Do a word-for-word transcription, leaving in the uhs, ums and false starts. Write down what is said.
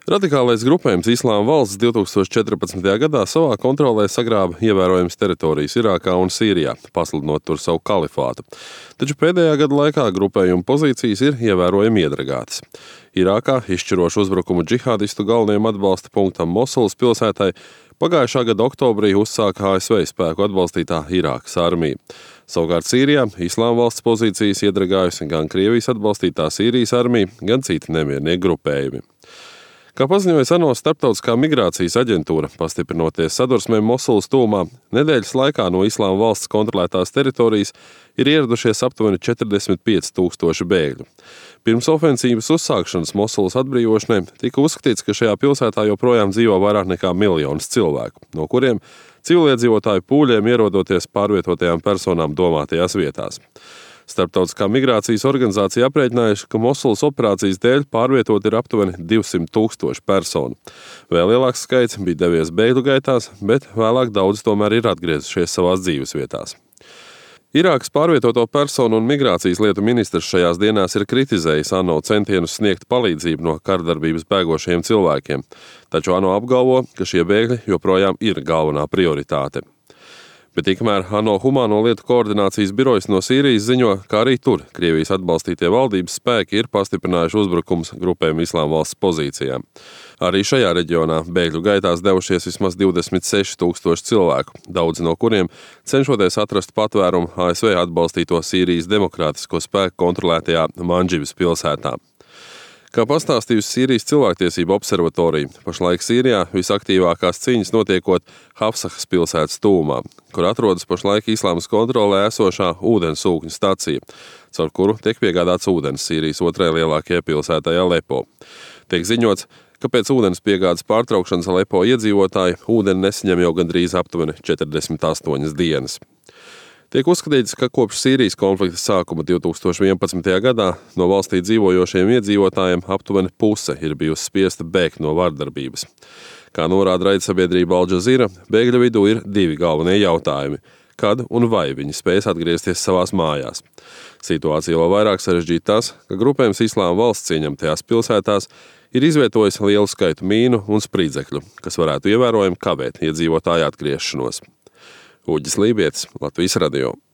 Radikālais grupējums Islāma valsts divtūkstoš četrpadsmitajā gadā savā kontrolē sagrāba ievērojamas teritorijas Irākā un Sīrijā, pasludinot tur savu kalifātu. Taču pēdējā gada laikā grupējuma pozīcijas ir ievērojami iedragātas. Irākā izšķirošu uzbrukumu džihādistu galvenajam atbalsta punktam Mosulas pilsētai pagājušā gada oktobrī uzsāka A S V spēku atbalstītā Irākas armija. Savukārt Sīrijā Islāma valsts pozīcijas iedragājusi gan Krievijas atbalstītā Sīrijas armija, gan citi nemiernieku grupējumi. Kā paziņoja ANO starptautiskā migrācijas aģentūra, pastiprinoties sadursmēm Mosulas tuvumā, nedēļas laikā no Islāma valsts kontrolētās teritorijas ir ieradušies aptuveni četrdesmit pieci tūkstoši bēgļu. Pirms ofensīvas uzsākšanas Mosulas atbrīvošanai tika uzskatīts, ka šajā pilsētā joprojām dzīvo vairāk nekā miljonus cilvēku, no kuriem civiliedzīvotāju pūļiem ierodoties pārvietotajām personām domātajās vietās. Starptautiskā migrācijas organizācija aprēķinājuši, ka Mosulas operācijas dēļ pārvietot ir aptuveni divsimt tūkstoši personu. Vēl lielāks skaits bija devies bēgļu gaitās, bet vēlāk daudz tomēr ir atgriezušies savās dzīves vietās. Irākas pārvietoto personu un migrācijas lietu ministrs šajās dienās ir kritizējis ANO centienus sniegt palīdzību no kardarbības bēgošajiem cilvēkiem, taču ANO apgalvo, ka šie bēgļi joprojām ir galvenā prioritāte. Bet tikmēr ANO humāno lietu koordinācijas birojas no Sīrijas ziņo, ka arī tur Krievijas atbalstītie valdības spēki ir pastiprinājuši uzbrukums grupējuma Islāma valsts pozīcijām. Arī šajā reģionā bēgļu gaitās devušies vismaz divdesmit seši tūkstoši cilvēku, daudzi no kuriem cenšoties atrast patvērumu A S V atbalstīto Sīrijas demokrātisko spēku kontrolētajā Mandžibas pilsētā. Kā pastāstījusi Sīrijas cilvēktiesību observatorija, pašlaik Sīrijā visaktīvākās cīņas notiekot Hafsahas pilsētas tuvumā, kur atrodas pašlaik Islāmas kontrolē esošā ūdensūkņu stacija, caur kuru tiek piegādāts ūdens Sīrijas otrajai lielākajai pilsētai Alepo. Tiek ziņots, ka pēc ūdens piegādes pārtraukšanas Alepo iedzīvotāji ūdeni nesaņem jau gandrīz aptuveni četrdesmit astoņas dienas. Tiek uzskatīts, ka kopš Sīrijas konflikta sākuma divtūkstoš vienpadsmitajā gadā no valstī dzīvojošiem iedzīvotājiem aptuveni puse ir bijusi spiesta bēgt no vardarbības. Kā norāda raidsabiedrība Al Jazeera, bēgļu vidū ir divi galvenie jautājumi – kad un vai viņi spēs atgriezties savās mājās. Situācija vēl vairāk sarežģīta tas, ka grupējums Islāma valsts ieņemtajās pilsētās ir izvietojis lielu skaitu mīnu un spridzekļu, kas varētu ievērojami kavēt iedzīvotāju atgriešanos. Uģis Lībietis, Latvijas radio.